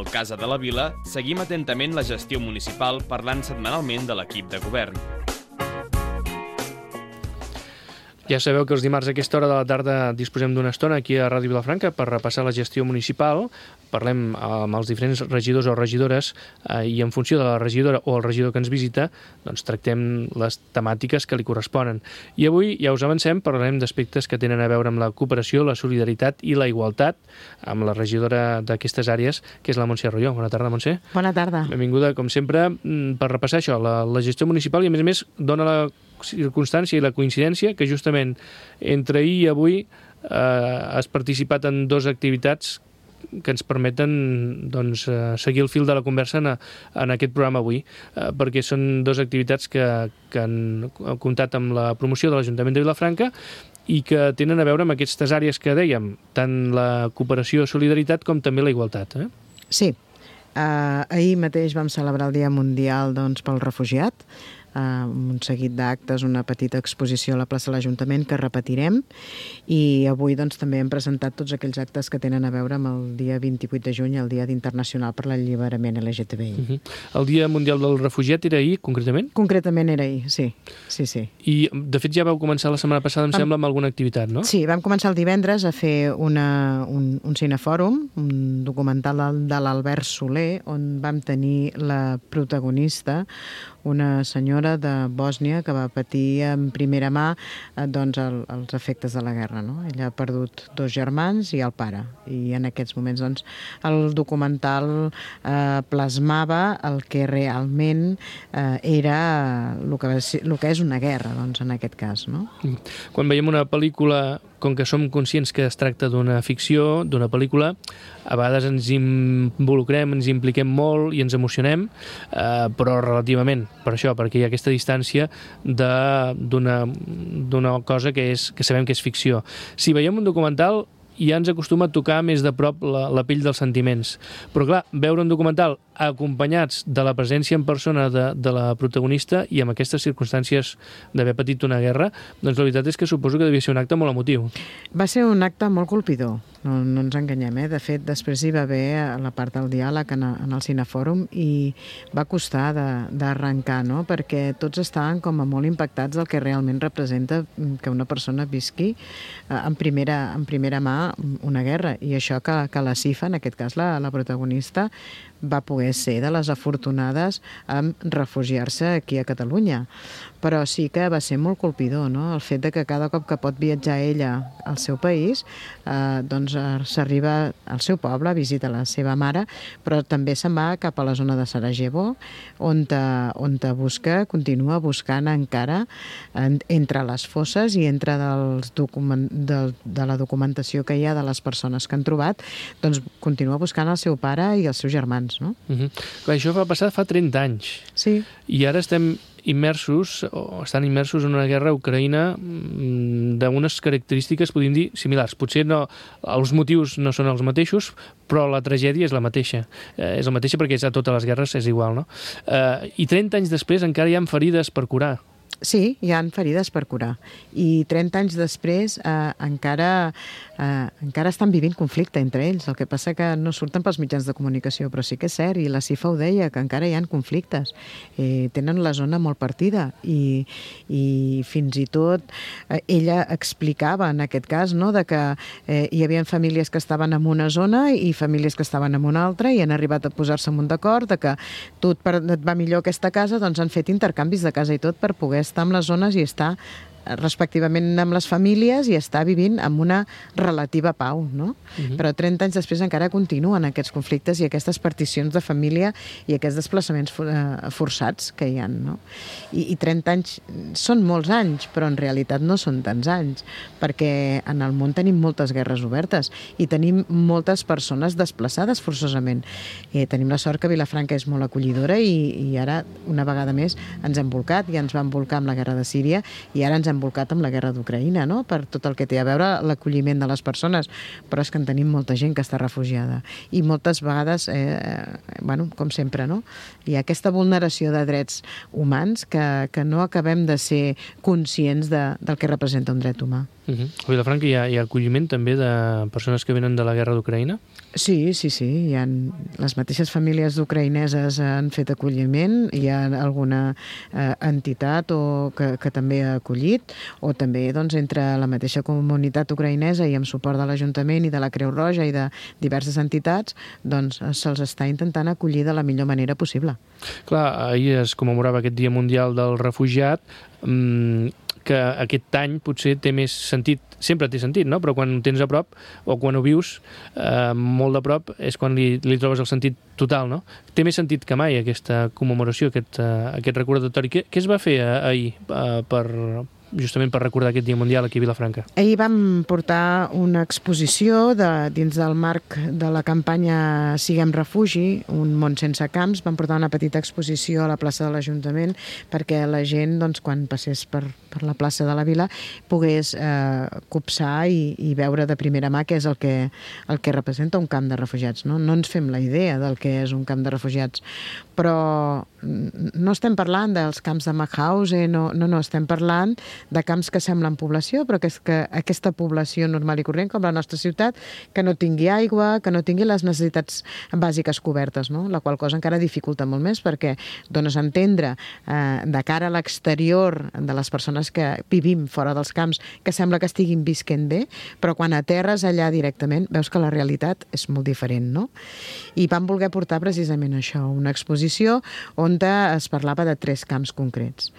Al Casa de la Vila seguim atentament la gestió municipal parlant setmanalment de l'equip de govern. Ja sabeu que els dimarts a aquesta hora de la tarda disposem d'una estona aquí a Ràdio Vilafranca per repassar la gestió municipal. Parlem amb els diferents regidors o regidores i en funció de la regidora o el regidor que ens visita, doncs tractem les temàtiques que li corresponen. I avui, ja us avancem, parlarem d'aspectes que tenen a veure amb la cooperació, la solidaritat i la igualtat amb la regidora d'aquestes àrees, que és la Montse Arroyo. Bona tarda, Montse. Bona tarda. Benvinguda, com sempre, per repassar això, la gestió municipal i, a més, dona la circumstància i la coincidència que justament entre ahir i avui has participat en dues activitats que ens permeten doncs, seguir el fil de la conversa en aquest programa avui, perquè són dues activitats que han comptat amb la promoció de l'Ajuntament de Vilafranca i que tenen a veure amb aquestes àrees que dèiem, tant la cooperació i solidaritat com també la igualtat. Sí. Ahir mateix vam celebrar el Dia Mundial pel Refugiat, un seguit d'actes, una petita exposició a la plaça de l'Ajuntament que repetirem, i avui també hem presentat tots aquells actes que tenen a veure amb el dia 28 de juny, el Dia Internacional per l'Alliberament LGTBI. El Dia Mundial del Refugiat era ahir, concretament? Concretament era ahir, sí. I, de fet, ja vau començar la setmana passada, em sembla, amb alguna activitat, no? Sí, vam començar el divendres a fer un cinefòrum, un documental de l'Albert Soler, on vam tenir la protagonista, una senyora de Bòsnia que va patir en primera mà els efectes de la guerra. No? Ella ha perdut 2 germans i el pare. I en aquests moments el documental plasmava el que realment era el que és una guerra, en aquest cas. No? Quan veiem una pel·lícula, com que som conscients que es tracta d'una ficció, d'una pel·lícula, a vegades ens involucrem, ens impliquem molt i ens emocionem, però relativament, per això, perquè hi ha aquesta distància d'una cosa que sabem que és ficció. Si veiem un documental, ja ens acostuma a tocar més de prop la pell dels sentiments. Però clar, veure un documental acompanyats de la presència en persona de la protagonista i amb aquestes circumstàncies d'haver patit una guerra, doncs la veritat és que suposo que devia ser un acte molt emotiu. Va ser un acte molt colpidor, no ens enganyem. De fet, després hi va haver la part del diàleg en el cinefòrum i va costar d'arrencar, no? Perquè tots estaven com a molt impactats del que realment representa que una persona visqui en primera mà una guerra, i això que la Sifa, en aquest cas la protagonista, va poder ser de les afortunades en refugiar-se aquí a Catalunya. Però sí que va ser molt colpidor, no? El fet de que cada cop que pot viatjar ella al seu país, s'arriba al seu poble, visita la seva mare, però també se'n va cap a la zona de Sarajevo, on continua buscant encara entre les fosses i entre de la documentació que hi ha de les persones que han trobat, doncs continua buscant el seu pare i els seus germans, no? Clar, això va passar fa 30 anys. Sí. I ara estan immersos en una guerra a Ucraïna d'unes característiques, podríem dir, similars. Potser els motius no són els mateixos, però la tragèdia és la mateixa. És la mateixa perquè a totes les guerres és igual, no? I 30 anys després encara hi ha ferides per curar. Sí, hi ha ferides per curar. I 30 anys després encara estan vivint conflicte entre ells. El que passa que no surten pels mitjans de comunicació, però sí que és cert, i la Sifa ho deia, que encara hi ha conflictes. Tenen la zona molt partida i fins i tot ella explicava, en aquest cas, no, de que hi havia famílies que estaven en una zona i famílies que estaven en una altra i han arribat a posar-se en un d'acord de que tu et va millor aquesta casa, doncs han fet intercanvis de casa i tot per poder estar en les zones i estar respectivament amb les famílies i estar vivint amb una relativa pau, no? Però 30 anys després encara continuen aquests conflictes i aquestes particions de família i aquests desplaçaments forçats que hi ha, no? I 30 anys són molts anys, però en realitat no són tants anys, perquè en el món tenim moltes guerres obertes i tenim moltes persones desplaçades forçosament. Tenim la sort que Vilafranca és molt acollidora i ara, una vegada més, ens hem volcat, ja ens vam volcar amb la guerra de Síria i ara ens hem volcat amb la guerra d'Ucraïna, no? Per tot el que té a veure l'acolliment de les persones, però és que en tenim molta gent que està refugiada i moltes vegades, com sempre, no? Hi ha aquesta vulneració de drets humans que no acabem de ser conscients del que representa un dret humà. A Vilafranca hi ha acolliment també de persones que venen de la guerra d'Ucraïna? Sí. Les mateixes famílies ucraïneses han fet acolliment, hi ha alguna entitat que també ha acollit, o també doncs, entre la mateixa comunitat ucraïnesa i amb suport de l'Ajuntament i de la Creu Roja i de diverses entitats, doncs se'ls està intentant acollir de la millor manera possible. Clar, ahir es commemorava aquest Dia Mundial del Refugiat, que aquest any potser té més sentit, sempre té sentit, no? Però quan ho tens a prop o quan ho vius molt de prop és quan li trobes el sentit total, no? Té més sentit que mai aquesta commemoració, aquest recordatori. Què es va fer ahir justament per recordar aquest Dia Mundial aquí a Vilafranca? Ahir vam portar una exposició dins del marc de la campanya Siguem Refugi, un món sense camps. Vam portar una petita exposició a la plaça de l'Ajuntament perquè la gent, doncs, quan passés per la plaça de la Vila, pogués copsar i veure de primera mà què és el que representa un camp de refugiats. No ens fem la idea del que és un camp de refugiats, però no estem parlant dels camps de Mauthausen, no, estem parlant de camps que semblen població, però que aquesta població normal i corrent, com la nostra ciutat, que no tingui aigua, que no tingui les necessitats bàsiques cobertes, no? La qual cosa encara dificulta molt més, perquè dones a entendre de cara a l'exterior de les persones que vivim fora dels camps, que sembla que estiguin visquent bé, però quan aterres allà directament veus que la realitat és molt diferent, no? I vam voler portar precisament això, una exposició on es parlava de 3 camps concrets.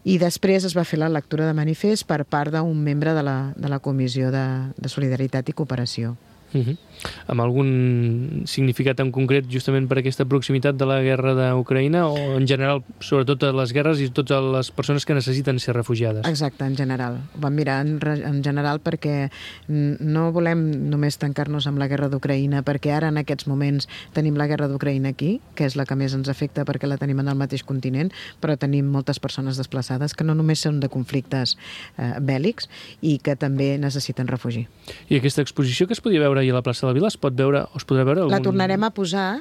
I després es va fer la lectura de manifest per part d'un membre de la Comissió de Solidaritat i Cooperació. Amb algun significat en concret justament per aquesta proximitat de la guerra d'Ucraïna o en general, sobretot a les guerres i totes les persones que necessiten ser refugiades? Exacte, en general. Ho vam mirar en general perquè no volem només tancar-nos amb la guerra d'Ucraïna, perquè ara en aquests moments tenim la guerra d'Ucraïna aquí, que és la que més ens afecta perquè la tenim en el mateix continent, però tenim moltes persones desplaçades que no només són de conflictes bèl·lics i que també necessiten refugi. I aquesta exposició que es podia veure ahir a la plaça de la Vila es podrà veure? La tornarem a posar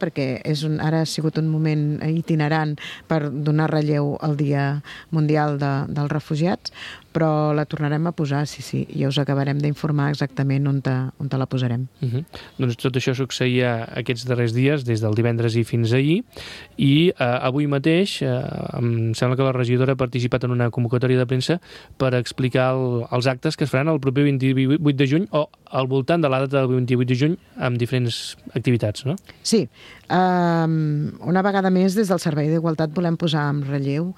perquè ara ha sigut un moment itinerant per donar relleu al Dia Mundial dels Refugiats, però la tornarem a posar, sí, i us acabarem d'informar exactament on la posarem. Doncs tot això succeïa aquests darrers dies, des del divendres i fins ahir, i avui mateix em sembla que la regidora ha participat en una convocatòria de premsa per explicar els actes que es faran el proper 28 de juny o al voltant de la data del 28 de juny amb diferents activitats, no? Sí. Una vegada més, des del Servei d'Igualtat volem posar en relleu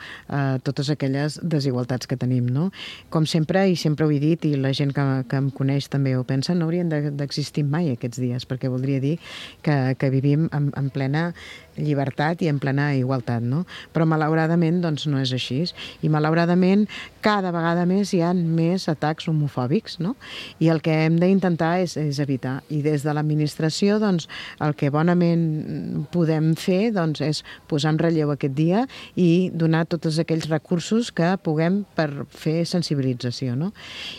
totes aquelles desigualtats que tenim, no? Com sempre, i sempre ho he dit, i la gent que em coneix també ho pensa, no haurien d'existir mai aquests dies, perquè voldria dir que vivim en plena llibertat i en plena igualtat, no? Però malauradament doncs no és així, i malauradament cada vegada més hi ha més atacs homofòbics, no? I el que hem d'intentar és evitar, i des de l'administració doncs el que bonament podem fer doncs és posar en relleu aquest dia i donar tots aquells recursos que puguem per fer sensibilització, no?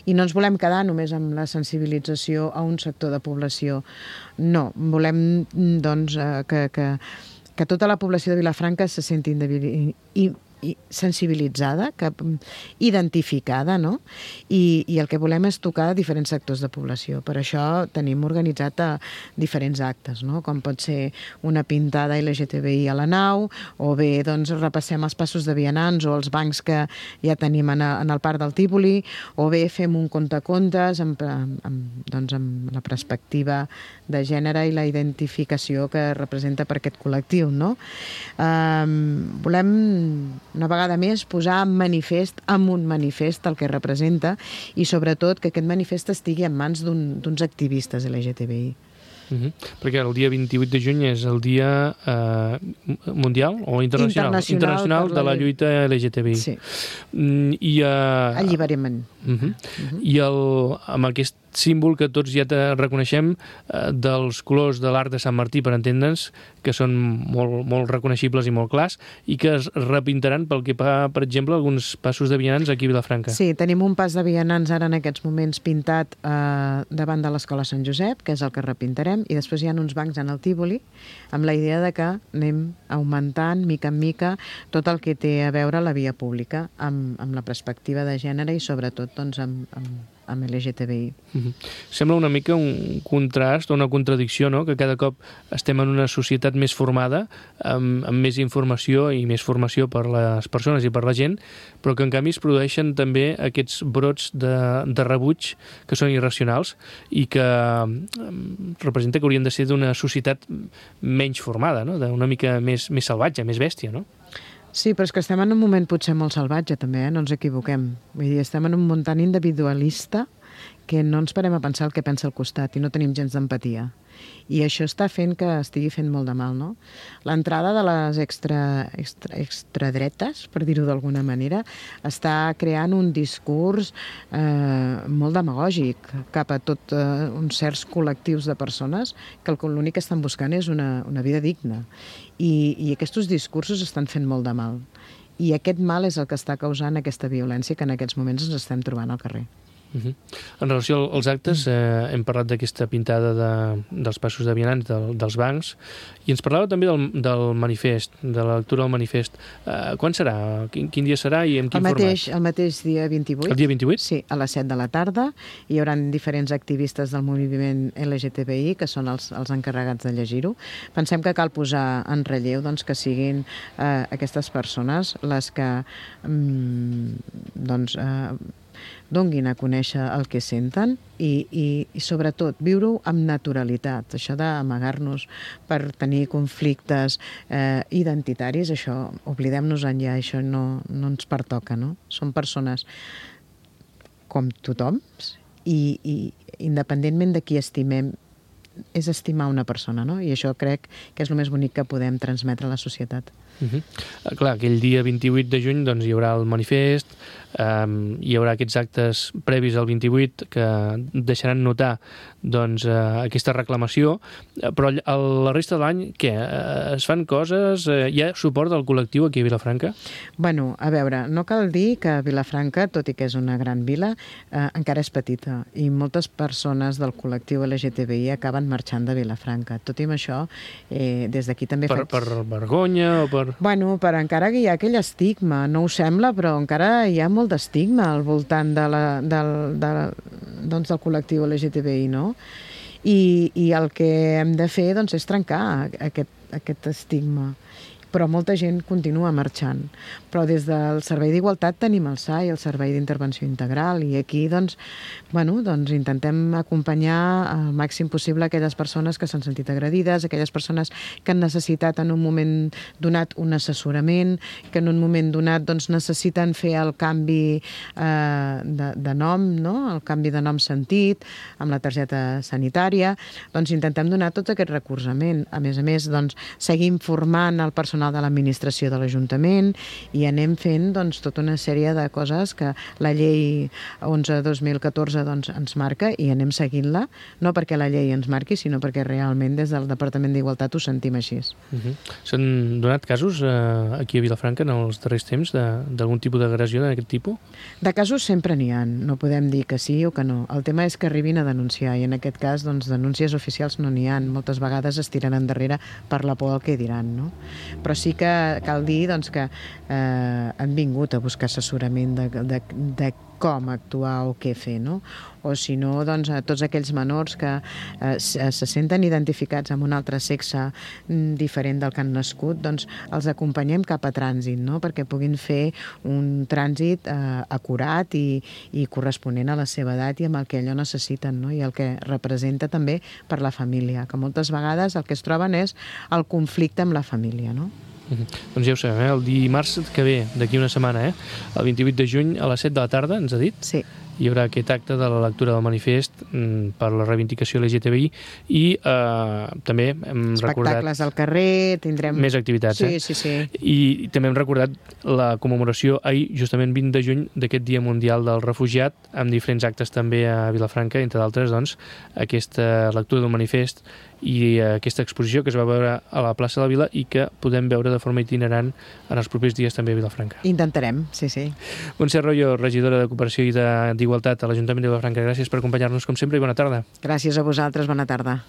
I no ens volem quedar només amb la sensibilització a un sector de població, no, volem doncs que tota la població de Vilafranca se senti sensibilitzada, identificada, no? I el que volem és tocar diferents sectors de població. Per això tenim organitzat diferents actes, no? Com pot ser una pintada LGTBI a la nau, o bé doncs repassem els passos de vianants o els bancs que ja tenim en el Parc del Tívoli, o bé fem un contacontes amb la perspectiva de gènere i la identificació que representa per aquest col·lectiu, no? Volem una vegada més posar en un manifest el que representa i sobretot que aquest manifest estigui en mans d'uns activistes LGTBI. Perquè el dia 28 de juny és el dia mundial o internacional de la lluita LGTBI. Sí. I alliberament. I amb aquest símbol que tots ja reconeixem dels colors de l'arc de Sant Martí, per entendre'ns, que són molt reconeixibles i molt clars, i que es repintaran pel que fa, per exemple, alguns passos de vianants aquí a Vilafranca. Sí, tenim un pas de vianants ara en aquests moments pintat davant de l'Escola Sant Josep, que és el que repintarem, i després hi ha uns bancs en el Tívoli, amb la idea de que anem augmentant, mica en mica, tot el que té a veure la via pública, amb la perspectiva de gènere i sobretot doncs, amb LGTBI. Sembla una mica un contrast o una contradicció, no? Que cada cop estem en una societat més formada, amb més informació i més formació per les persones i per la gent, però que en canvi es produeixen també aquests brots de rebuig que són irracionals i que representa que haurien de ser d'una societat menys formada, no? D'una mica més salvatge, més bèstia, no? Sí, però és que estem en un moment potser molt salvatge també, no ens equivoquem. Vull dir, estem en un món tan individualista que no ens parem a pensar el que pensa al costat i no tenim gens d'empatia. I això està fent que estigui fent molt de mal, no? L'entrada de les extradretes, per dir-ho d'alguna manera, està creant un discurs molt demagògic cap a tot uns certs col·lectius de persones que l'únic que estan buscant és una vida digna. I aquests discursos estan fent molt de mal. I aquest mal és el que està causant aquesta violència que en aquests moments ens estem trobant al carrer. En relació als actes, hem parlat d'aquesta pintada dels passos de vianants, dels bancs, i ens parlava també del manifest, de la lectura del manifest. Quan serà? Quin dia serà i en quin format? El mateix dia 28. El dia 28? Sí, a les 7 de la tarda. Hi haurà diferents activistes del moviment LGTBI, que són els encarregats de llegir-ho. Pensem que cal posar en relleu doncs, que siguin aquestes persones les que donguin a conèixer el que senten i sobretot viure-ho amb naturalitat. Això d'amagar-nos per tenir conflictes identitaris, això oblidem-nos-en ja, això no ens pertoca, no? Són persones com tothom i independentment de qui estimem, és estimar una persona, no? I això crec que és el més bonic que podem transmetre a la societat. Clar, aquell dia 28 de juny doncs, hi haurà el manifest, hi haurà aquests actes previs al 28 que deixaran notar doncs, aquesta reclamació, però la resta de l'any, què? Es fan coses? Hi ha suport del col·lectiu aquí a Vilafranca? Bueno, a veure, no cal dir que Vilafranca, tot i que és una gran vila, encara és petita i moltes persones del col·lectiu LGTBI acaben marxant de Vilafranca. Tot i amb això, des d'aquí també Per vergonya o per... Bueno, per encara que hi ha aquell estigma, no ho sembla, però encara hi ha molt d'estigma al voltant del col·lectiu LGTBI, no? I el que hem de fer doncs, és trencar aquest estigma. Però molta gent continua marxant. Però des del Servei d'Igualtat tenim el SAI, el Servei d'Intervenció Integral, i aquí doncs, intentem acompanyar al màxim possible aquelles persones que s'han sentit agredides, aquelles persones que han necessitat en un moment donat un assessorament, que en un moment donat doncs, necessiten fer el canvi de nom, no? El canvi de nom sentit, amb la targeta sanitària. Doncs intentem donar tot aquest recolzament. A més, doncs, seguim formant el personal de l'administració de l'Ajuntament i anem fent doncs, tota una sèrie de coses que la llei 11/2014 doncs, ens marca i anem seguint-la, no perquè la llei ens marqui, sinó perquè realment des del Departament d'Igualtat ho sentim així. S'han donat casos aquí a Vilafranca en els darrers temps d'algun tipus d'agressió d'aquest tipus? De casos sempre n'hi ha, no podem dir que sí o que no. El tema és que arribin a denunciar i en aquest cas doncs, denúncies oficials no n'hi ha. Moltes vegades es tiren endarrere per la por al que diran, no? Però sí que cal dir doncs, que han vingut a buscar assessorament de com actuar o què fer, no? O si no, doncs, a tots aquells menors que se senten identificats amb un altre sexe diferent del que han nascut, doncs els acompanyem cap a trànsit, no? Perquè puguin fer un trànsit acurat i corresponent a la seva edat i amb el que allò necessiten, no? I el que representa també per la família, que moltes vegades el que es troben és el conflicte amb la família, no? Doncs ja ho sabem, el dimarts que ve, d'aquí una setmana, el 28 de juny a les 7 de la tarda, ens ha dit? Sí. Hi haurà aquest acte de la lectura del manifest per la reivindicació LGTBI i també hem recordat... Espectacles al carrer, tindrem... Més activitats, Sí. I també hem recordat la commemoració ahir, justament 20 de juny, d'aquest Dia Mundial del Refugiat, amb diferents actes també a Vilafranca, entre d'altres, doncs, aquesta lectura del manifest i aquesta exposició que es va veure a la plaça de la Vila i que podem veure de forma itinerant en els propers dies també a Vilafranca. Intentarem, sí. Montse Arroyo, regidora de Cooperació i d'Igualtat a l'Ajuntament de Vilafranca, gràcies per acompanyar-nos com sempre i bona tarda. Gràcies a vosaltres, bona tarda.